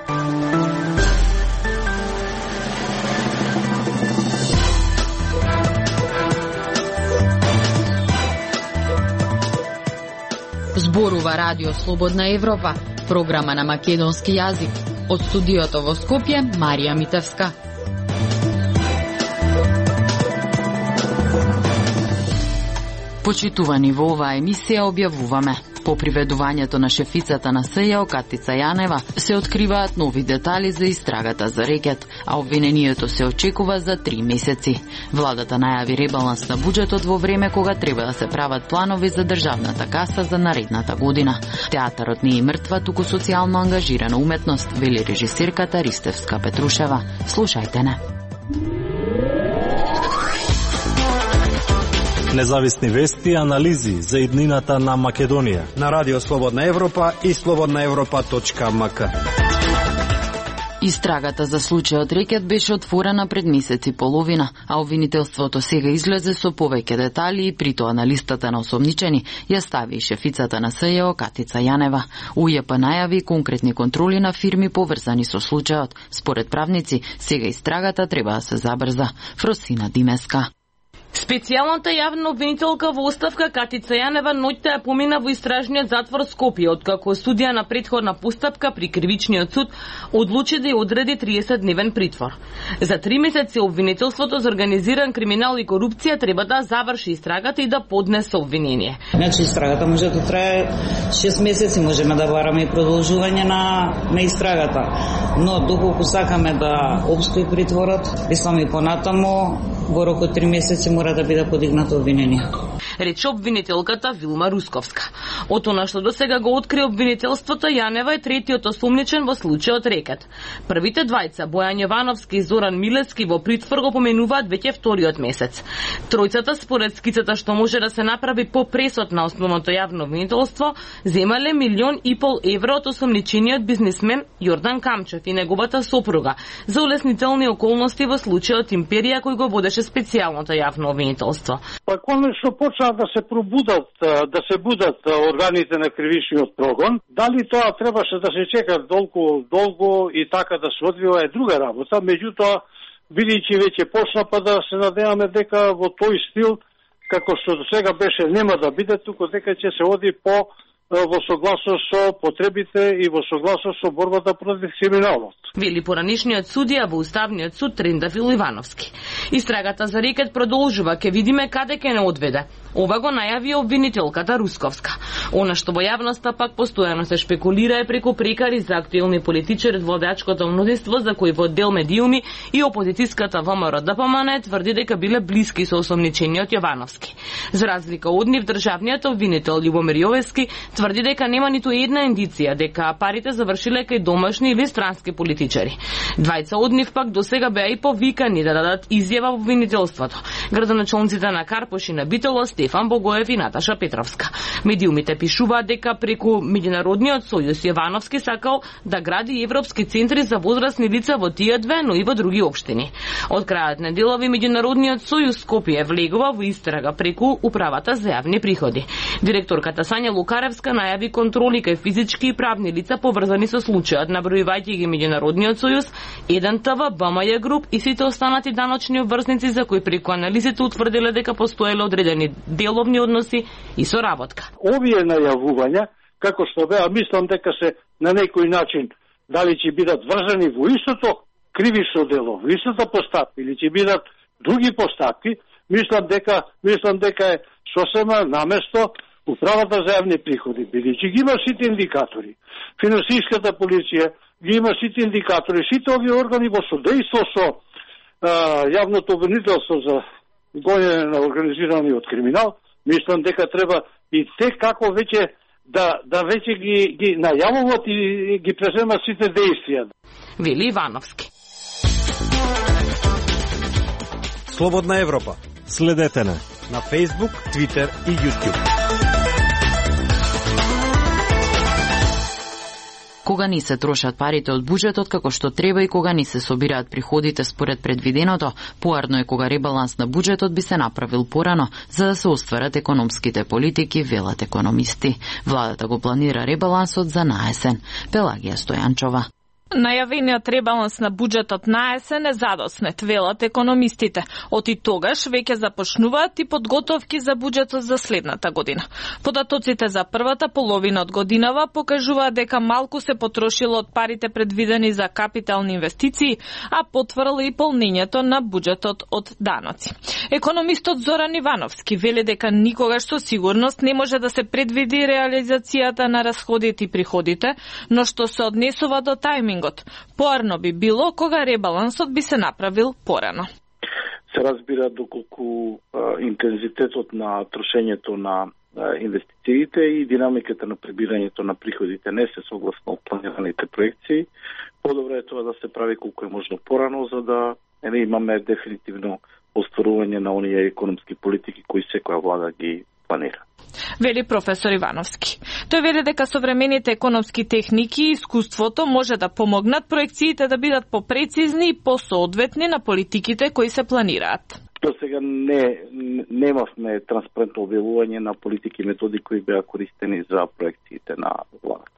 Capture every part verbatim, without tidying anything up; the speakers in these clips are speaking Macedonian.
Зборува Радио Слободна Европа, програма на македонски јазик. Од студиото во Скопје, Марија Митевска. Почитувани, во оваа емисија објавуваме: по приведувањето на шефицата на СЈО Катица Јанева се откриваат нови детали за истрагата за рекет, а обвинението се очекува за три месеци. Владата најави ребаланс на буџетот во време кога треба да се прават планови за државната каса за наредната година. Театарот не е мртва, туку социјално ангажирана уметност, вели режисерката Ристевска Петрушева. Слушајте не. Независни вести и анализи за иднината на Македонија на Радио Слободна Европа и слободна европа точка ем ка. Истрагата за случајот рекет беше отворена пред месец и половина, а обвинителството сега излезе со повеќе детали и притоа на листата на осомничени ја стави и шефицата на СЈО Катица Јанева. УЈП најави конкретни контроли на фирми поврзани со случајот. Според правници, сега истрагата треба да се забрза. Фросина Димеска. Специјалната јавна обвинителка во оставка Катица Јанева ноќта ја помина во истражниот затвор Скопје, откако судија на претходна постапка при кривичниот суд одлучи да ја одреди триесетдневен притвор. За три месеци обвинителството за организиран криминал и корупција треба да заврши истрагата и да поднесе обвинение. Значи истрагата може да трае шест месеци, можеме да бараме и продолжување на на истрагата. Но доколку сакаме да опстои притворот, мислам и понатаму во рок од три месеци мора да биде подигнато обвинение. Рече обвинителката Вилма Русковска. Од она што досега го откри обвинителството, Јанева е третиот осумничен во случајот рекет. Првите двајца, Бојан Јовановски и Зоран Милевски, во притвор го поменуваат веќе вториот месец. Тројцата, според скицата што може да се направи по пресод на основното јавно обвинителство, земале милион и пол евро од осумничениот бизнисмен Јордан Камчев и неговата сопруга за улеснителни околности во случајот Империја кој го водеше специјалното јавно обвинителство. Па конечно почнаа да се пробудат, да се будат органите на кривичниот прогон. Дали тоа требаше да се чека долго, долго и така да се одвива е друга работа, меѓутоа бидејќи веќе почна, па да се надеваме дека во тој стил како што до сега беше нема да биде, туку дека ќе се оди по во согласност со потребите и во согласност со борбата против криминалот. Вели поранишниот судија во Уставниот суд Трендафил Ивановски. Истрагата за рекет продолжува, ке видиме каде ќе не одведе. Ова го најави обвинителката Русковска. Она што во јавноста пак постојано се шпекулира е преку прекари за актуелни политичари од владачкото мнозинство за кои во дел медиуми и опозицијската ВМРО Д П М Н тврди дека биле блиски со осомничениот Јовановски. За разлика од нив, државниот обвинител Љубомир Јовески тврди дека нема ниту една индиција дека парите завршиле кај домашни или странски политичари. Двајца од нив пак досега беа и повикани да дадат изјава во обвинителството. Градоначалниците на Карпош и на Битола Стефан Богоев и Наташа Петровска. Медиумите пишуваат дека преку Меѓународниот сојуз Јовановски сакал да гради европски центри за возрастни лица во тие две, но и во други општини. Од крајот на делови Меѓународниот сојуз Скопје влегува во истрага преку Управата за јавни приходи. Директорката Сања Лукаревска најави контроли кај физички и правни лица поврзани со случајот, набројувајќи ги Меѓународниот сојуз, еден Т В, Б М Ј груп и сите останати даночни обврзници за кои преку анализите утврдиле дека постоеле одредени деловни односи и соработка. Овие најавувања, како што беа, мислам дека се на некој начин дали ќе бидат врзани во истото кривично дело, во истата постапка или ќе бидат други постапки, мислам дека мислам дека е сосема наместо Управата за јавни приходи, бидејќи ги има сите индикатори. Финансиската полиција ги има сите индикатори, сите овие органи во содејство со а, јавното обвинителство за гонење на организираниот криминал, мислам дека треба и те како веќе да да веќе ги ги најавуваат и ги преземат сите дејствија. Вели Ивановски. Слободна Европа. Следете на на Facebook, Twitter и YouTube. Кога ни се трошат парите од буџетот како што треба и кога ни се собираат приходите според предвиденото, поарно е кога ребаланс на буџетот би се направил порано, за да се остварат економските политики, велат економисти. Владата го планира ребалансот за наесен. Пелагија Стојанчова. Најавениот ребаланс на буџетот на есен е задоснет, велат економистите. Од и тогаш веќе започнуваат и подготовки за буџетот за следната година. Податоците за првата половина од годинава покажуваат дека малку се потрошило од парите предвидени за капитални инвестиции, а потврдила и полнењето на буџетот од даноци. Економистот Зоран Ивановски вели дека никогаш со сигурност не може да се предвиди реализацијата на расходите и приходите, но што се однесува до тајминг. Поарно би било кога ребалансот би се направил порано. Се разбира доколку а, интензитетот на трошењето на а, инвестициите и динамиката на прибирањето на приходите не се согласно планираните проекции, подобро е тоа да се прави колку е можно порано, за да не имаме дефинитивно остварување на оние економски политики кои секоја влада ги планира. Вели професор Ивановски. Тој вели дека современите економски техники и искуството може да помогнат проекциите да бидат попрецизни и посоодветни на политиките кои се планираат. До сега не немавме транспарентно објавување на политики и методи кои беа користени за проекциите на владата.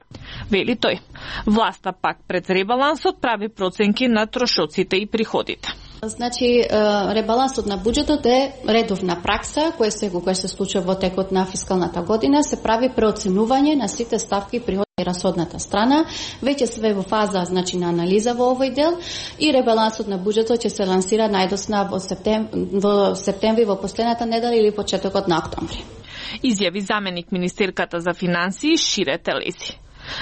Вели тој. Власта пак пред ребалансот прави проценки на трошоците и приходите. Значи, ребалансот на буџетот е редовна пракса, која се кога се случува во текот на фискалната година, се прави преоценување на сите ставки и приходи и расходната страна. Веќе све во фаза, значи, на анализа во овој дел и ребалансот на буџетот ќе се лансира најдосна во септември, во септември во последната недела или почетокот на октомври. Изјави заменик министерката за финансии Шире Телези.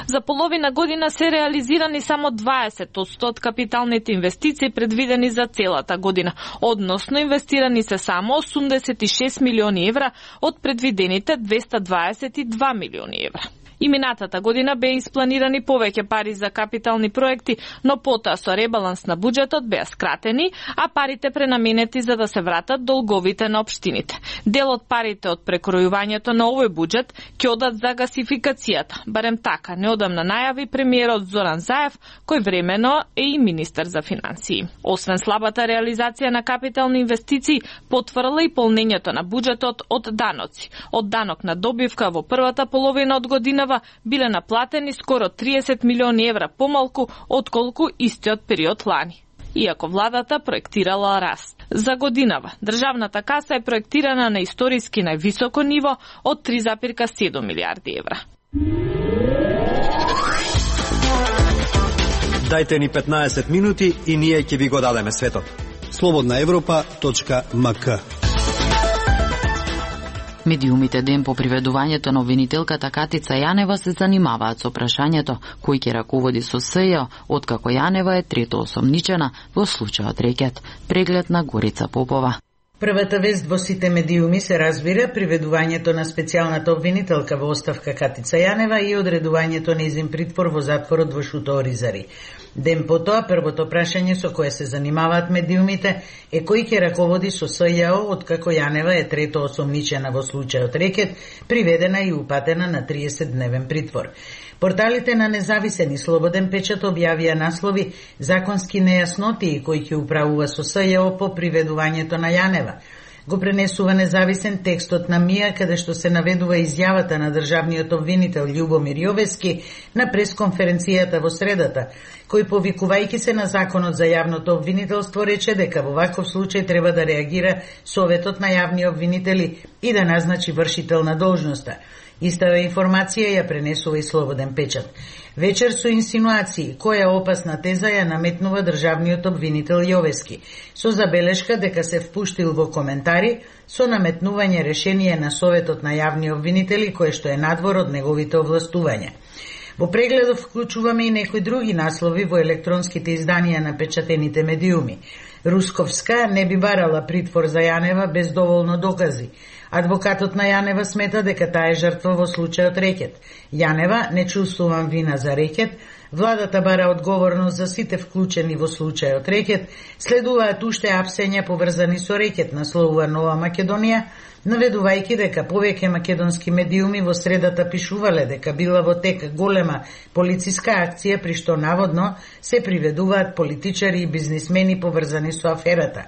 За половина година се реализирани само дваесет одсто од капиталните инвестиции предвидени за целата година, односно инвестирани се само осумдесет и шест милиони евра од предвидените двеста дваесет и два милиони евра. И минатата година беа испланирани повеќе пари за капитални проекти, но потоа со ребаланс на буџетот беа скратени, а парите пренаменети за да се вратат долговите на општините. Дел од парите од прекројувањето на овој буџет ќе одат за гасификацијата, барем така неодамна најави премиерот Зоран Заев, кој времено е и министер за финансии. Освен слабата реализација на капитални инвестиции, потврдила и полнењето на буџетот од даноци. Од данок на добивка во првата половина од година биле наплатени скоро триесет милиони евра помалку отколку истиот период лани. Иако владата проектирала раст. За годинава државната каса е проектирана на историски највисоко ниво од три запирка седум милијарди евра. Дајте ни петнаесет минути и ние ќе ви го дадеме светот. слободна европа точка ем ка. Медиумите ден по приведувањето на обвинителката Катица Јанева се занимаваат со прашањето кој ќе раководи со СЈО, откако Јанева е трето осомничена во случајот Рекет. Преглед на Горица Попова. Првата вест во сите медиуми се разбира приведувањето на специјалната обвинителка во оставка Катица Јанева и одредувањето нејзин притвор во затворот во Шуто Оризари. Ден потоа, првото прашање со кое се занимаваат медиумите е кој ќе раководи со СЈО, откако Јанева е трето осомничена во случајот Рекет, приведена и упатена на триесет дневен притвор. Порталите на Независен и Слободен печат објавија наслови законски нејаснотии кои ќе управува со СЈО по приведувањето на Јанева. Го пренесува Независен текстот на МИА, каде што се наведува изјавата на државниот обвинител Љубомир Јовески на пресконференцијата во средата, кој повикувајќи се на законот за јавното обвинителство рече дека во ваков случај треба да реагира Советот на јавни обвинители и да назначи вршител на должноста. Истава информација ја пренесува и Слободен печат. Вечер со инсинуации, која опасна теза ја наметнува државниот обвинител Јовески, со забелешка дека се впуштил во коментари со наметнување решение на Советот на јавни обвинители, кое што е надвор од неговите овластувања. Во прегледов вклучуваме и некои други наслови во електронските изданија на печатените медиуми. Русковска не би барала притвор за Јанева без доволно докази. Адвокатот на Јанева смета дека таа е жртва во случајот Рекет. Јанева не чувствувам вина за Рекет, владата бара одговорност за сите вклучени во случајот Рекет, следуваат уште апсења поврзани со Рекет, насловува Нова Македонија, наведувајќи дека повеќе македонски медиуми во средата пишувале дека била во тек голема полициска акција при што наводно се приведуваат политичари и бизнисмени поврзани со аферата.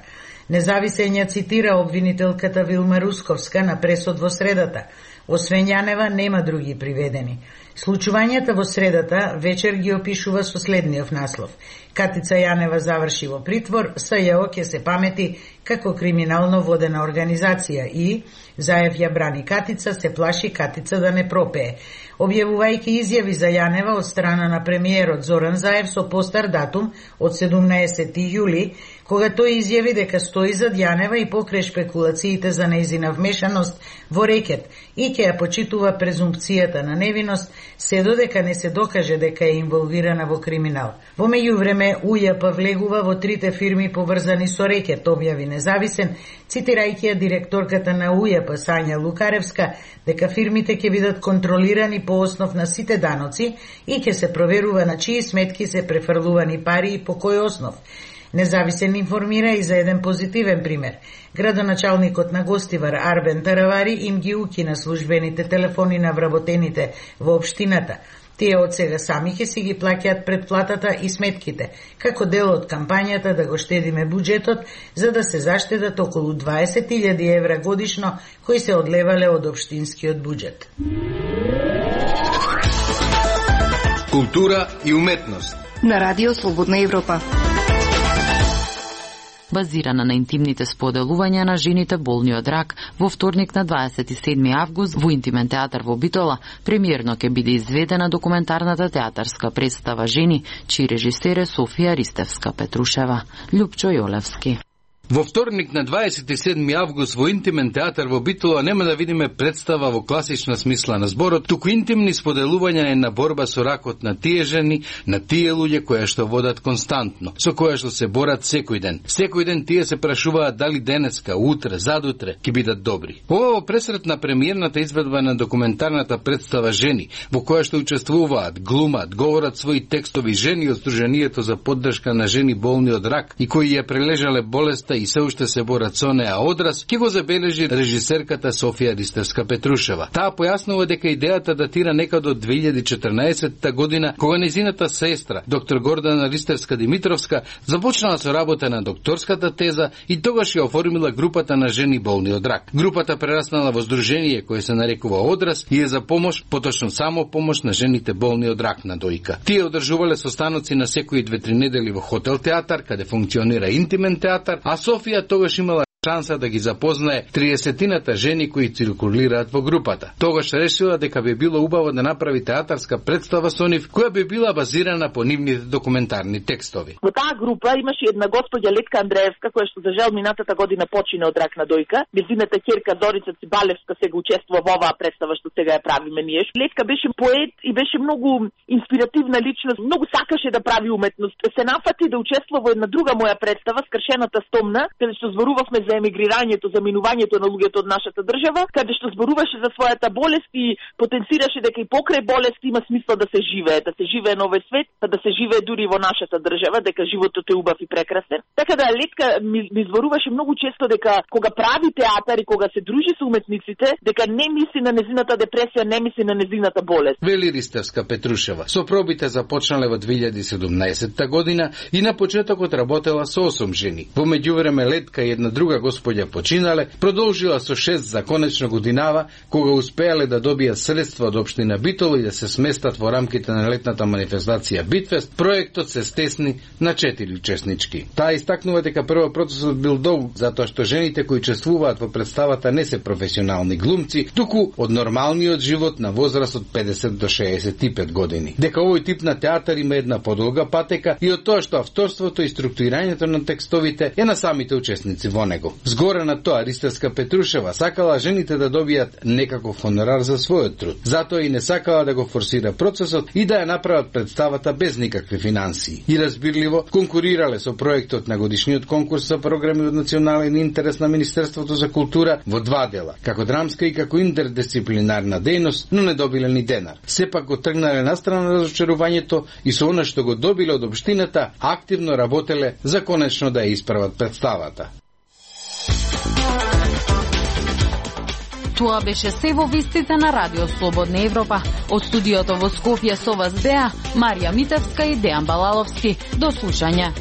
Независен ја цитира обвинителката Вилма Русковска на пресод во средата. Освен Јанева, нема други приведени. Случувањата во средата вечер ги опишува со следниот наслов. Катица Јанева заврши во притвор, СЈО ќе се памети како криминално водена организација и, Заев ја брани Катица, се плаши Катица да не пропее. Објавувајќи изјави за Јанева од страна на премиерот Зоран Заев со постар датум од седумнаесети јули, кога тој изјави дека стои зад Јанева и покрај шпекулациите за нејзина вмешаност во рекет и ќе ја почитува презумпцијата на невиност, се додека не се докаже дека е инволвирана во криминал. Во меѓувреме, УЈП влегува во трите фирми поврзани со рекет, објави Независен, цитирајќи ја директорката на УЈП Сања Лукаревска, дека фирмите ќе бидат контролирани по основ на сите даноци и ќе се проверува на чии сметки се префрлувани пари и по кој основ. Независен информира и за еден позитивен пример. Градоначалникот на Гостивар Арбен Таравари им ги укина службените телефони на вработените во општината. Тие од сега сами ќе си ги плаќаат претплатата и сметките, како дел од кампањата да го штедиме буџетот, за да се заштедат околу дваесет илјади евра годишно кои се одлевале од општинскиот буџет. Култура и уметност на Радио Слободна Европа. Базирана на интимните споделувања на жените болни од рак, во вторник на дваесет и седми август во Интимен театар во Битола премиерно ќе биде изведена документарната театарска представа Жени, чиј режисер е Софија Ристевска-Петрушева. Љупчо Јолевски. Во вторник на дваесет и седми август во Интимен театар во Битола нема да видиме представа во класична смисла на зборот, туку интимни споделувања на борба со ракот на тие жени, на тие луѓе кои што водат константно, со кои што се борат секој ден. Секој ден тие се прашуваат дали денеска, утре, задутре ќе бидат добри. Ова во пресрет на премиерната изведба на документарната представа Жени, во која што учествуваат, глумат, говорат своји текстови жени од Сдруженијето за поддршка на жени болни од рак и кои ја прележале болеста и се уште се борат со неа одраз, ќе го забележи режисерката Софија Ристевска-Петрушева. Таа појаснува дека идејата датира некаде од две илјади и четрнаесетта година, кога нејзината сестра, доктор Гордана Ристевска-Димитровска, започнала со работа на докторската теза и тогаш ја оформила групата на жени болни од рак. Групата прераснала во здружение кое се нарекува Одраз и е за помош, поточно само помош на жените болни од рак на дојка. Тие одржувале состаноци на секои две-три недели во хотел театар, каде функционира Интимен театар, а Софија тогаш имала шанса да ги запознае триесетината жени кои циркулираат во групата. Тогаш решила дека би било убаво да направи театарска представа со нив, која би била базирана по нивните документарни текстови. Во таа група имаше една господја Летка Андреевска, која што за жал минатата година почина од рак на дојка. Нејзината ќерка Дорица Цибалевска сега учествува во оваа представа што сега ја правиме ние. Летка беше поет и беше многу инспиративна личност, многу сакаше да прави уметност. Се нафати да учествува во една друга моја представа, Скршената стомна, каде што зборувавме за емигрирањето, за минувањето на луѓето од нашата држава, каде што зборуваше за својата болест и потенцираше дека и покрај болест има смисла да се живее, да се живее на овој свет, да се живее дури во нашата држава, дека животот е убав и прекрасен. Така да Летка ми, ми зборуваше многу често дека кога прави театар и кога се дружи со уметниците, дека не мисли на незината депресија, не мисли на незината болест. Вели Ристевска-Петрушева. Со пробите започнале во две илјади и седумнаесетта година и на почетокот работела со осум жени. Во меѓувреме Летка и една друга господја починале, продолжила со шест за конечно годинава, кога успеале да добијат средства од општина Битола и да се сместат во рамките на летната манифестација Битфест, проектот се стесни на четири учеснички. Таа истакнува дека прво процесот бил долг, затоа што жените кои учествуваат во представата не се професионални глумци, туку од нормалниот живот на возраст од педесет до шеесет и пет години. Дека овој тип на театар има една подолга патека и од тоа што авторството и структурирањето на текстовите е на самите учесници во него. Згоре на тоа, Ристевска-Петрушева сакала жените да добијат некаков хонорар за својот труд. Затоа и не сакала да го форсира процесот и да ја направат представата без никакви финансии. И разбирливо, конкурирале со проектот на годишниот конкурс за програми од национален интерес на Министерството за култура во два дела, како драмска и како интердисциплинарна дејност, но не добиле ни денар. Сепак го тргнале настрана разочарувањето и со она што го добиле од општината, активно работеле за конечно да ја исправат представата. Тоа беше се во вестите на Радио Слободна Европа. Од студиото во Скопје со вас беа Марија Митевска и Дејан Балаловски. До слушање.